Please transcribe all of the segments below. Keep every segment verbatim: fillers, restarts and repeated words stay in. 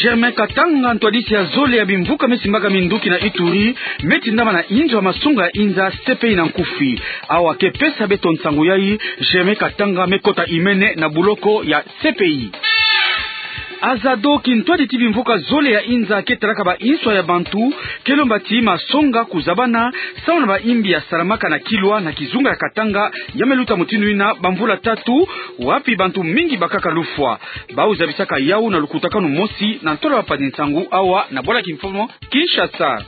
Germain Katanga, ntwadisi ya zole ya bimvuka me simbaka minduki na Ituri, me tindama na inzo ya masonga ya inza C P I na nkufi. Awa ke pesa beto nsangu yai, Germain Katanga me kota imene na buloko ya C P I. Azado, kintwadi ti bimvuka zole ya inza ke talaka ba inswa ya bantu, ke lomba ti masonga kuzabana samu na ba imbi ya salamaka na Kilwa na kizunga ya Katanga, ya me luta mutindu ina bamvula tatu, wapi bantu mingi bakaka lufwa. Bau zabisaka yau na lukutakanu mosi na ntolo ya mpanzi nsangu awa na bwala kimfumu Kinshasa.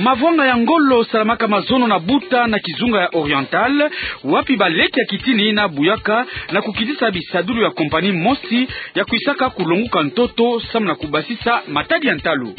Mavwanga ya ngolo salamaka mazono na Buta na kizunga ya Oriental, wapi baleke ya kitini ina buyaka na kukitisa bisadulu ya kompani mosi ya kwisaka kulonguka ntoto samu na kubasisa matadi ya ntalu.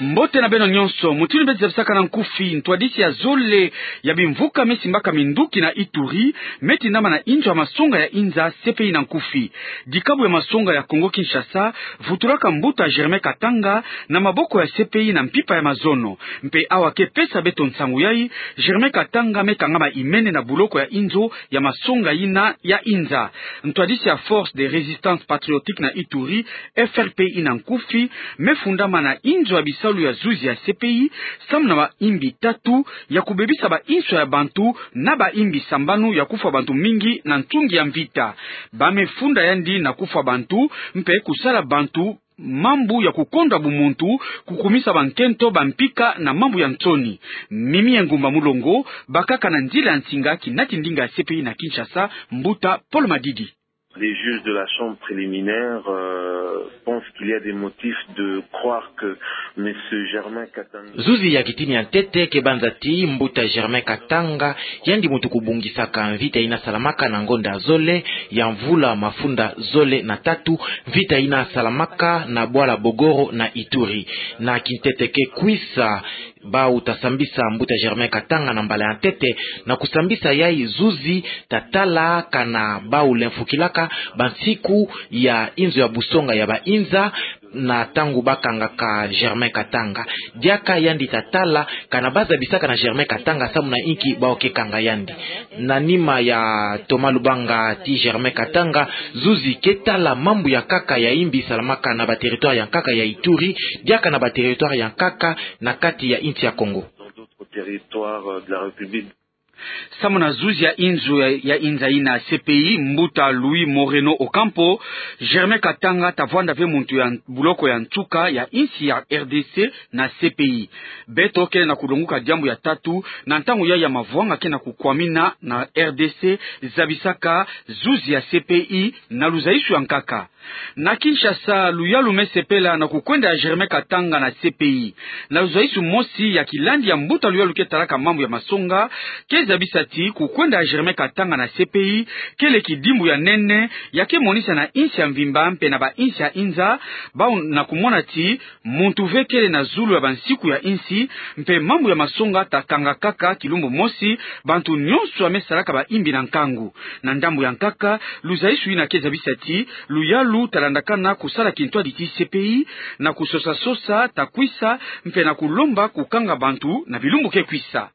Mbote na beno nyonso, mutindu beto zabisaka na nkufi, ntwadisi ya zole ya bimvuka me simbaka minduki na Ituri, me tindama na inzo ya masonga ya inza C P I na nkufi. Dikabu ya masonga ya Kongo Kinshasa vutulaka mbuta Germain Katanga na maboko ya C P I na mpimpa ya mazono. Mpe awa ke pesa beto nsangu yai, Germain Katanga me kangama imene na buloko ya inzo ya masonga ina ya inza. Ntwadisi ya Force de Résistance Patriotique na Ituri, F R P I na nkufi, me fundama na inzo ya bisalu ya zuzi ya C P I, samu na ba imbi tatu ya kubebisa ba inswa ya bantu na ba imbi sambanu ya kufwa bantu mingi na ntungi ya mvita. Ba me funda yandi na kufwa bantu, mpe kusala bantu mambu ya kukondwa bumuntu, kukumisa bankento, bampika na mambu ya nsoni. Mimi Engumba Mulongo, bakaka na nzila ya nsinga kinati ndinga ya C P I na Kinshasa, mbuta Paul Madidi. Les juges de la chambre préliminaire, euh, pensent qu'il y a des motifs de croire que monsieur Germain Katanga. Zuzi ya kitini ya ntete ke banza ti mbuta Germain Katanga, yandi muntu kubungisaka mvita ina salamaka na ngonda zole ya mvula mafunda zole na tatu, mvita ina salamaka na bwala Bogoro na Ituri. Na kintete ke kwisa, bau ta sambisa mbuta Germain Katanga na mbala ya ntete, na kusambisa yai zuzi ta tala kana bau lemfukilaka bansiku ya inzo ya busonga ya ba inza, na ntangu ba kangaka Germain Katanga. Diaka yandi ta tala kana ba zabisaka na Germain Katanga samu na inki bau ke kanga yandi. Na nima ya Thomas Lubanga ti Germain Katanga, zuzi ke tala mambu ya nkaka ya imbi salamaka na ba territoire ya nkaka ya Ituri, diaka na ba territoire ya nkaka na kati ya insi ya Kongo. Dans d'autres territoires, euh, de la République. Samu na zuzi ya inzo ya, ya inza ina C P I, mbuta Luis Moreno Ocampo, Germain Katanga ta vwanda ve muntu ya buloko ya nsuka ya insi ya R D C na C P I. Beto kele na kulonguka diambu ya tatu, na ntangu ya ya mavwanga ke na kukwamina na R D C, zabisaka zuzi ya C P I na luzaisu ya nkaka. Na Kinshasa, luyalu me sepela na kukwenda ya Germain Katanga na C P I. Na luzaisu mosi ya kilandi ya mbuta luyalu ke talaka mambu ya masonga, ke zabisa ti kukwenda ya Germain Katanga na C P I kele kidimbu ya nene, ya ke monisa na insi ya mvimba mpe na ba insi ya inza, bau na kumona ti muntu ve kele na zulu ya bansiku ya insi, mpe mambu ya masonga ta kanga kaka kilumbu mosi, bantu nyonso ya me salaka ba imbi na nkangu. Na ndambu ya nkaka, luzaisu ina ke zabisa ti luyalu ta landakana kusala kintwadi ti C P I, na kusosa-sosa ta kwisa, mpe na kulomba kukanga bantu na bilumbu ke kwisa.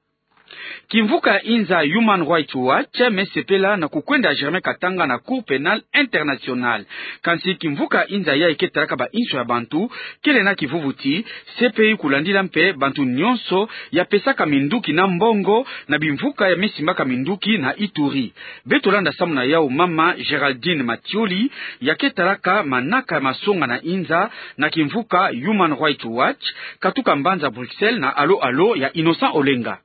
Kimvuka ya inza Human Rights Watch me sepela na kukwenda ya Germain Katanga na Cour Pénale Internationale. Kansi kimvuka ya inza yai ke talaka ba inso ya bantu, kele na kivuvu ti C P I kulandila mpe bantu nyonso ya pesaka minduki na mbongo na bimvuka ya me simbaka minduki na Ituri. Beto landa samu na yau mama Géraldine Mathioli, ya ke talaka manaka ya masonga na inza na kimvuka Human Rights Watch, katuka mbanza Bruxelles na alo-alo ya Innocent Olenga.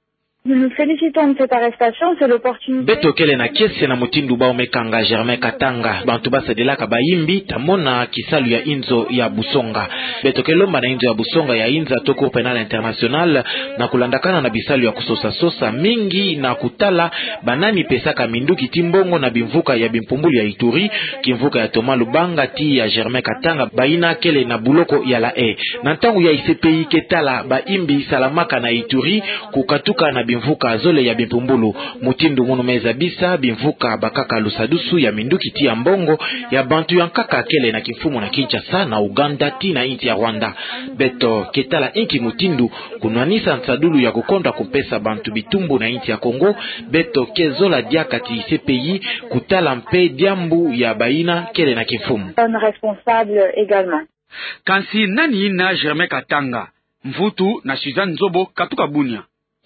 Nous nous félicitons de cette arrestation, c'est l'opportunité. Beto kele na kiese na mutindu bau me kanga Germain Katanga. Bantu ba sadilaka ba imbi, ta mona kisalu ya inzo ya busonga. Beto ke lomba na inzo ya busonga ya inza to Cour Pénale Internationale, na kulandakana na bisalu ya kusosa-sosa mingi na kutala ba nani pesaka minduki ti mbongo na bimvuka ya bimpumbulu ya Ituri, kimvuka ya Thomas Lubanga ti ya Germain Katanga, baina kele na buloko ya La Haye. Na ntangu yai C P I ke tala ba imbi salamaka na Ituri, kukatuka na Mvuka zole ya bimpumbulu. Mutindu munu me zabisa bimvuka bakaka lusadusu ya minduki tii ya mbongo ya bantu ya nkaka kele na kimfumu na Kinshasa, na Ouganda tii na insi ya Rwanda. Beto ke tala inki mutindu kunwanisa nsadulu ya kukondwa kumpesa bantu bitumbu na insi ya Kongo. Beto ke zola diaka ti CPI kutala mpe diambu ya bayina kele na kimfumu. Personne responsable également. Kansi nani yina Germain Katanga? Mvutu na Suzanne Nzobo katuka Bunia.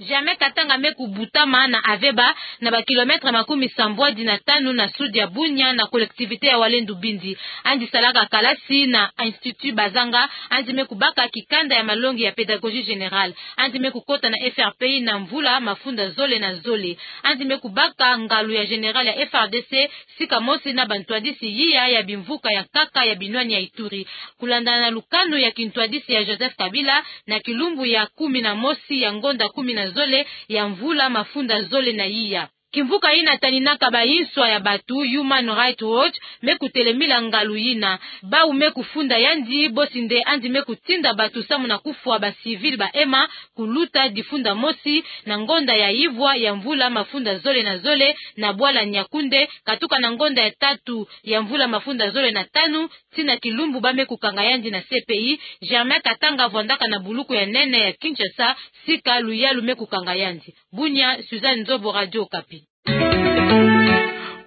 Germain Katanga me kubutama na Aveba, na ba kilomètres makumi sambwadi na tanu na sud ya Bunia, na collectivité ya Walendu Bindi. Andi salaka kalasi na Institut Bazanga, andi me kubaka kikanda ya malongi ya pédagogie générale. Andi me kukota na FRPI na mvula mafunda zole na zole. Andi me kubaka ngalu ya général ya FARDC, sika mosi na bantwadisi yiya ya bimvuka ya nkaka ya binwani ya Ituri. Kulandana na lukanu ya kintwadisi ya Joseph Kabila, na kilumbu ya kumi na mosi ya ngonda kumi na zole ya mvula mafunda zole na yiya. Kimvuka yina taninaka bayinswa ya batu, Human Rights Watch, me kutelemila ngalu yina. Bau me kufunda yandi, bosi nde andi me kutinda batu samu na kufwa ba civil ba ema, kuluta difunda mosi na ngonda ya ivwa ya mvula mafunda zole na zole na bwala Niakoundé, katuka na ngonda ya tatu ya mvula mafunda zole na tanu, tii na kilumbu ba me kukanga yandi na CPI. Germain Katanga vwandaka na buluku ya nene ya Kinshasa, sika luyalu me kukanga yandi. Bunia, Suzanne Nzobo, Radio Okapi.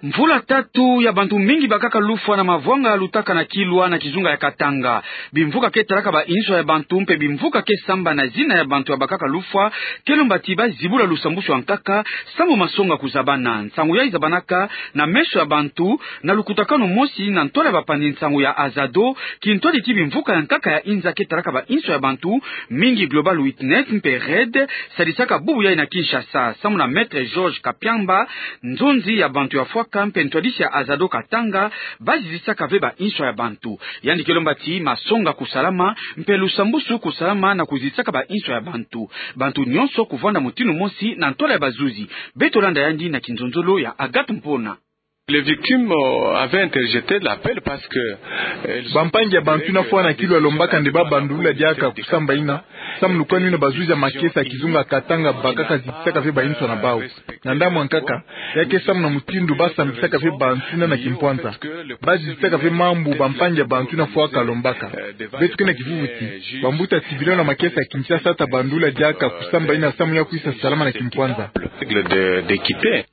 Mvula tatu ya bantu mingi bakaka lufwa na mavwanga lutaka na Kilwa na kizunga ya Katanga. Bimvuka ke talaka bayinswa ya bantu mpe bimvuka ke samba na zina ya bantu ya bakaka lufwa ke lomba ti ba zibula lusambusu ya nkaka, samu masonga kuzabana. Nsangu yayi zabanaka na meso ya bantu na lukutakanu mosi na ntwala ya bapanzi nsangu ya Azado, kintwadi ti bimvuka ya nkaka ya inza ke talaka bayinswa ya bantu, mingi Global Witness mpe REDD, sadisaka bubu yayi na Kinshasa, samu na Maître Georges Kapiamba, nzonzi ya bantu ya fwaka mpe ntwadisi ya Azado Katanga, ba zizisaka ve bayinswa ya bantu. Yandi ke lomba ti masonga kusalama, mpe lusambusu kusalama na kuzizisaka bayinswa ya bantu. Bantu nyonso kuvwanda mutindu mosi na ntwala ya bazuzi. Beto landa yandi na kinzonzolo ya Agathe Mpona. Les victimes, euh, avaient interjeté l'appel parce que, euh, elles ont... Bampangi ya bantu yina fwana na Kilwa lombaka nde ba bandulula diaka kusamba yina, samu lukanu yina bazuzi ya makesa ya kizunga Katanga bakaka zizisaka ve bayinswa na bau. Na ndambu ya nkaka, ya ke samu na mutindu ba sambisaka ve bantu yina na kimpwanza. Ba zizisaka ve mambu bampangi ya bantu yina fwaka lombaka. Beto ke na kivuvu ti bambuta tibileno na makesa ya Kinshasa ta bandulula diaka kusamba yina samu ya kwisa salama na kimpwanza. Règle de, d'équité.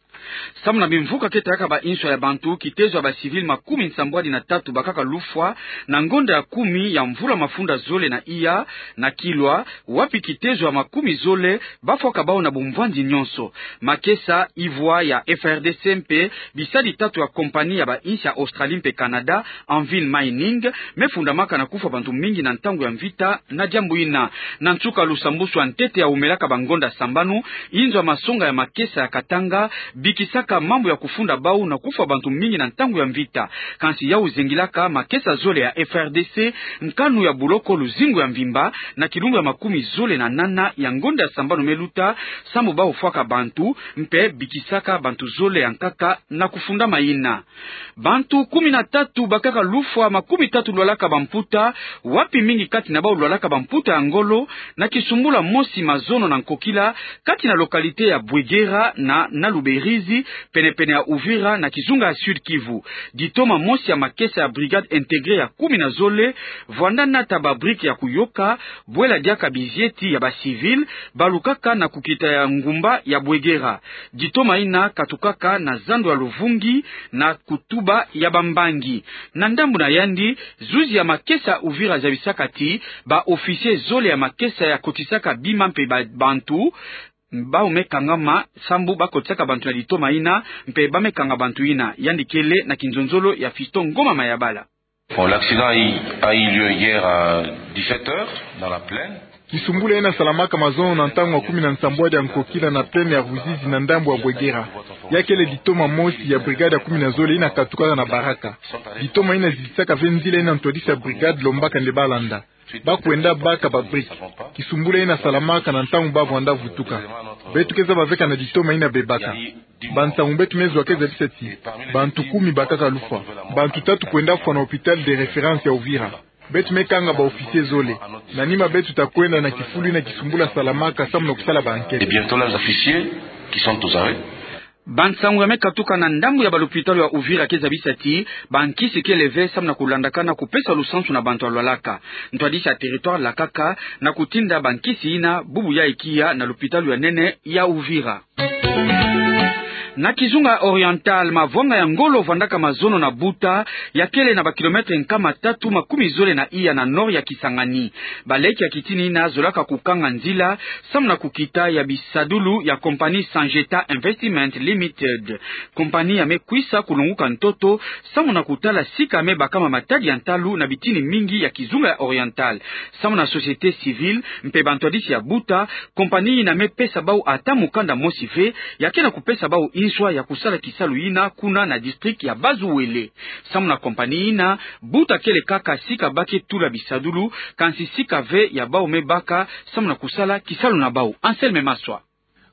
Samu na bimvuka ke talaka bayinswa ya bantu, kitezo ya ba civil makumi nsambwadi na tatu bakaka lufwa na ngonda ya kumi ya mvula mafunda zole na iya na Kilwa, wapi kitezo ya makumi zole ba fwaka bau na bumvwandi nyonso. Makesa ivwa ya FRDC mpe bisadi tatu ya compagnie ya bainsi ya Australie mpe Canada, Anvil Mining, me fundamaka na kufwa bantu mingi na ntangu ya mvita. Na diambu yina, na nsuka lusambusu ya ntete ya umelaka bangonda sambanu, inzo ya masonga ya makesa ya Katanga bikisaka mambu ya kufunda bau na kufwa bantu mingi na ntangu ya mvita. Kansi yau zengilaka makesa zole ya FRDC, nkanu ya buloko luzingu ya mvimba na kilumbu ya makumi zole na nana ya ngonda ya sambanu me luta, samu bau fwaka bantu, mpe bikisaka bantu zole ya nkaka na kufundama yina. Bantu kumi na tatu bakaka lufwa, makumi tatu lwalaka bamputa, wapi mingi kati na bau lwalaka bamputa ya ngolo, na kisumbula mosi mazono na nkokila, kati na localité ya Bwegera na, na Luberizi, penepene ya Uvira, na kizunga ya Sud-Kivu. Ditoma mosi ya makesa ya brigade intégrée ya kumi na zole, vwanda nata ba brique ya kuyoka, bwela diaka bizieti ya ba civil balukaka na kukita ya ngumba ya Bwegera. Ditoma yina katukaka na zando ya Luvungi na kutuba ya bambangi. Na ndambu na yandi, zuzi ya makesa Uvira zabisaka ti ba officier zole ya makesa ya kotisaka bima mpe ba, bantu, bau me kangama, sambu bakotisaka bantu na ditoma yina, mpe ba me kanga bantu yina. Yandi kele na kinzonzolo ya Fiston Ngoma Mayabala. Bon, l'accident a eu, a eu lieu hier à dix-sept heures dans la plaine. Kisumbula yina salamaka mazono na ntangu ya kumi na nsambwadi ya nkokila na plaine ya Ruzizi na ndambu ya Bwegera. Ya kele ditoma mosi ya brigade ya kumi na zole yina katukaka na Baraka. Ditoma yina zizisaka ve nzila yina ntwadisi ya brigade lombaka nde balanda. Bakwenda baka ba brique. Kisumbula yina salamaka na ntangu bavwanda vutuka. Beto ke zaba ve kana ditoma yina bebaka. Bansangu beto me zwa ke zabisa ti bantu kumi bakaka lufwa. Bantu tatu kwenda fwa na hôpital de référence ya Uvira. Beto me kanga ba officiers zole. Na nima beto ta kwenda na kifulu ina kisumbula salamaka samu na kusala ba enquêtes. Et bientôt là, les officiers qui sont aux arrêts. Ba nsangu ya me katuka na ndambu ya ba lopitalo ya Uvira ke zabisa ti ba nkisi kele ve samu na kulandaka na kupesa lusansu na bantu ya lwalaka. Ntwadisi ya territoire lakaka na kutinda ba nkisi ina bubu ya ikiya na lopitalo ya nene ya Uvira. Na kizunga Oriental, mavwanga ya ngolo vandaka mazono na Buta, ya kele na ba kilomètres nkama tatu makumi zole na iya na nord ya Kisangani. Baleke ya kitini ina zolaka kukanga nzila samu na kukita ya bisadulu ya compagnie Sangeta Investment Limited. Compagnie ya me kwisa kulonguka ntoto samu na kutala sika me bakama matadi ya ntalu na bitini mingi ya kizunga ya Oriental. Samu na société civile mpe bantwadisi ya Buta, compagnie ina me pesa bau ata mukanda mosi ve, ya ke na kupesa bau nswa ya kusala kisalu ina kuna na district ya Bas-Uele. Samu na compagnie ina, Buta kele kaka sika ba ke tula bisadulu, kansi sika ve ya bau me baka samu na kusala kisalu na bau. Anselme Maswa.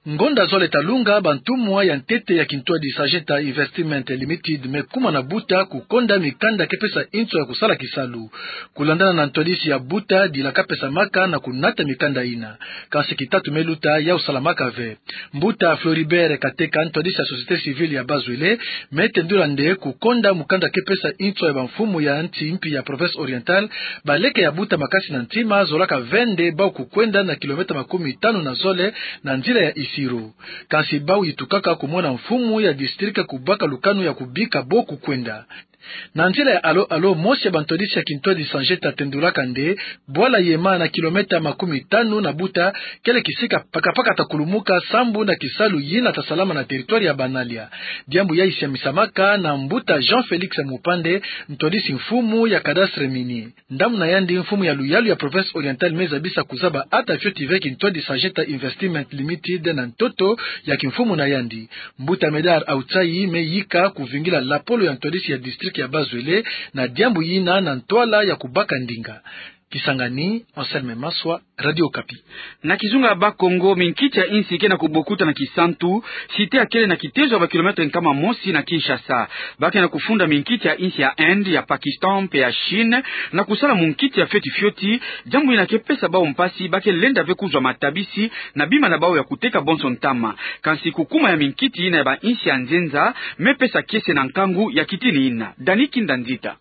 Ngonda zole ta lunga, bantumwa ya ntete ya kintwadi Sangeta Investment Limited me kuma na Buta kukonda mikanda ke pesa nswa ya kusala kisalu. Kulandana na ntwadisi ya Buta, dila ka pesamaka na kunata mikanda ina. Kansi kitatu me luta, yau salamaka ve. Mbuta Floribert Kateka, ntwadisi ya société civile ya Bas-Uele, me tendula nde kukonda mukanda ke pesa nswa ya bamfumu ya nsi mpi ya province Oriental, baleke ya Buta makasi na ntima zolaka ve nde bau kukwenda na kilomètres makumi tanu na zole na nzila ya Isiro. Kansi bau yitukaka kumona mfumu ya district kubaka lukanu ya kubika bo kukwenda. Na nzila ya alo-alo, mosi ya bantwadisi ya kintwadi Sangeta tendulaka nde bwala Yema na kilomètres makumi tanu na Buta kele kisika pakapaka ta kulumuka sambu na kisalu yina ta salama na territoire ya Banalia. Diambu yayi siamisamaka na mbuta Jean Félix Mupande, ntwadisi mfumu ya cadastre minier. Ndambu na yandi, mfumu ya luyalu ya province Oriental me zabisa kuzaba ata fioti ve kintwadi Sangeta Investment Limited na ntoto ya kimfumu na yandi. Mbuta Médard Autsayi me yika kuvingila lapolo ya ntwadisi ya district ya Bas-Uele na diambu yina na ntwala ya kubaka ndinga. Kisangani, Anselme Maswa, Radio Okapi. Na kizunga ya Bakongo, minkiti ya insi ke na kubokuta na Kisantu, site ya kele na kitezo ya ba kilomètres nkama mosi na Kinshasa. Ba ke na kufunda minkiti ya insi ya Inde, ya Pakistan mpe ya Chine na kusala munkiti ya fioti fioti, diambu yina ke pesa bau mpasi, ba ke lenda ve kuzwa matabisi na bima na bau ya kuteka bonso ntama. Kansi kukuma ya minkiti yina ya ba insi ya nzenza me pesa kiese na nkangu ya kitini yina. Dani Kinda Nzita.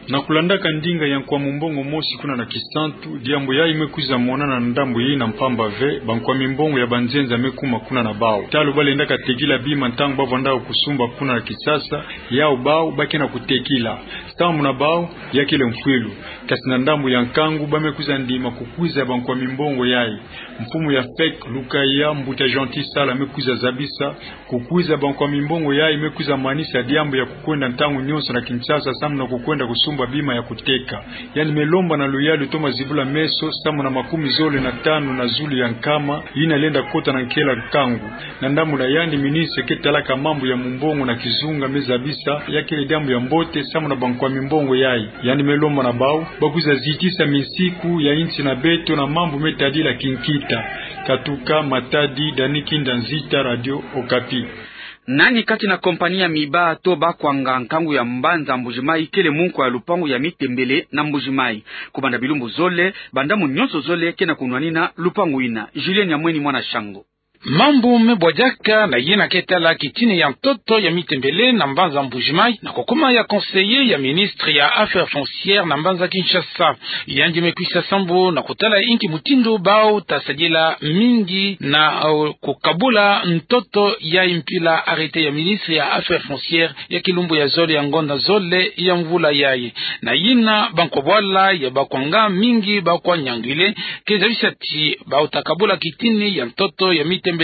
Na kulandaka ndinga ya nkwa mumbongo mosi kuna na Kisantu, diambu yayi me kwiza monana na ndambu yina mpamba ve, ba nkwa mimbongo ya banzenza me kuma kuna na bau. Talo ba lendaka tekila bima ntangu ba vandaka kusumba kuna na Kinshasa, yau bau ba ke na kutekila. Samu na bau, ya kele mfwilu. Kasi na ndambu ya nkangu, ba me kwiza ndima kukwiza ba nkwa mimbongo yayi. Mfumu ya FEC Lukaya, mbuta Gentil Sala, me kwiza zabisa, kukwiza ba nkwa mimbongo yayi me kwiza manisa diambu ya kukwenda ntangu nyonso na Kinshasa samu na kukwenda kusumba bima ya kuteka. Yandi me lomba na luyalu toma zibula meso samu na makumi zole na tanu na zulu ya nkama yina lenda kota na nkela nkangu. Na ndambu na yandi, ministre ke talaka mambu ya mumbongo na kizunga me zabisa, ya kele diambu ya mbote samu na ba nkwa mimbongo yayi. Yandi me lomba na bau, ba kwiza zitisa minsiku ya insi na beto na mambu me tadila kinkita. Katuka Matadi, Dani Kinda Nzita, Radio Okapi. Nani kati na kompani ya Miba to Bakwanga, nkangu ya mbanza Mbujimayi, kele munkwa ya lupangu ya Mitembele na Mbujimayi? Kubanda bilumbu zole, ba ndambu nyonso zole ke na kunwanina lupangu yina. Julien Nyamweni, mwana Shango. Mambu me bwadiaka na yina ke tala kitini ya ntoto ya Mitembele na mbanza Mbujimayi, na kukuma ya conseiller ya ministre ya Affaires foncières na mbanza Kinshasa. Yandi me kwisa sambu na kutala inki mutindu bau ta sadila mingi na, uh, kukabula ntoto yayi mpila arrêté ya ministre ya Affaires foncières ya kilumbu ya zole ya ngonda zole ya mvula yayi. Na yina, bankwa bwala ya Bakwanga mingi, Bakwa Nyangwile, ke zabisa ti bau ta kabula kitini ya ntoto ya Mitembele.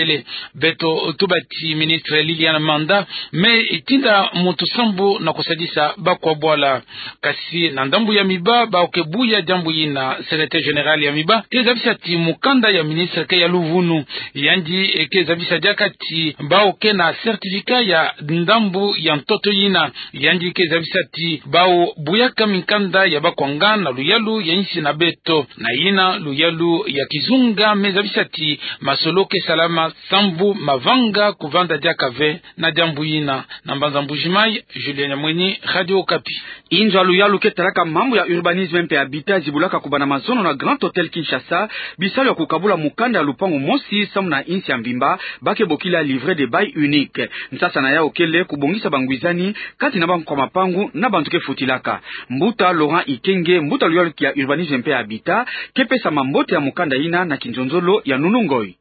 Beto tuba ti ministre Liliane Manda me tinda muntu sambu na kusadisa bankwa bwala. Kasi na ndambu ya Miba, bau ke buya diambu yina. Secrétaire général ya Miba ke zabisa ti mukanda ya ministre ke ya luvunu. Yandi, eh, ke zabisa diaka ti bau ke na certificat ya ndambu ya ntoto yina. Yandi ke zabisa ti bau buyaka minkanda ya Bakwanga na luyalu ya insi na beto. Na yina, luyalu ya kizunga me zabisa ti masolo ke salama Sambu mavanga kuvanda diaka ve na diambu yina. Na mbanza Mbuji-Mayi, Julien Nyamweni, Radio Okapi. Inzo ya luyalu ke talaka mambu ya urbanisme mpe habitat zibulaka kubanda mazono na Grand Hôtel Kinshasa bisalu ya kukabula mukanda ya lupangu mosi samu na insi ya mvimba, ba ke bokila livret de bail unique. Nsasa na yawu kele kubongisa bangwizani kati na bankwa mapangu na bantu ke futilaka. Mbuta Laurent Ikenge, mbuta luyalu ya urbanisme mpe habitat, ke pesa mambote ya mukanda yina na kinzonzolo ya Nunu Ngoyi.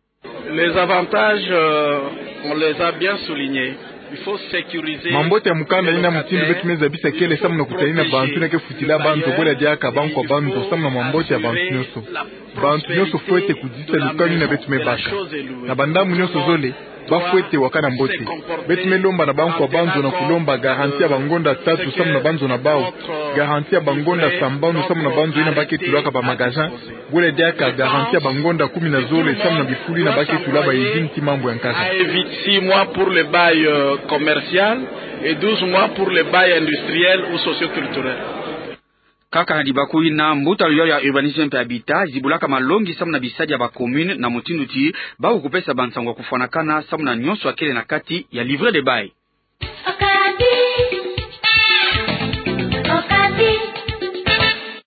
Les avantages, euh, on les a bien soulignés. Il faut sécuriser. Mambote ya mukanda yina, mutindu beto me zabisa kele samu na kutalina bantu yina ke futila banzo, bwela diaka bankwa banzo, samu na mambote ya bantu nyonso. Bantu nyonso fwete kudisa lukanu yina beto me baka. Na bandambu nyonso zole, ba fwete wakana mbote. Beto me lomba na bankwa banzo na kulomba garantie ya bangonda tatu samu na banzo na bawu, garantie ya bangonda sambanu samu na banzo yina ba ke tulaka ba magasin, bwela diaka garantie ya bangonda kumi na zole samu na bifulu yina ba ke tula ba izini ti mambu ya nkaka. Six mois pour le bail, euh, commercial et douze mois pour le bail industriel ou socioculturel. Kaka na libaku yina, mbuta luyalu ya urbanisme mpe habitat zibulaka malongi samu na bisadi ya ba commune na mutindu ti ba kukupesa bansango ya kufwanakana samu na nyonso ya kele na kati ya livret de bail.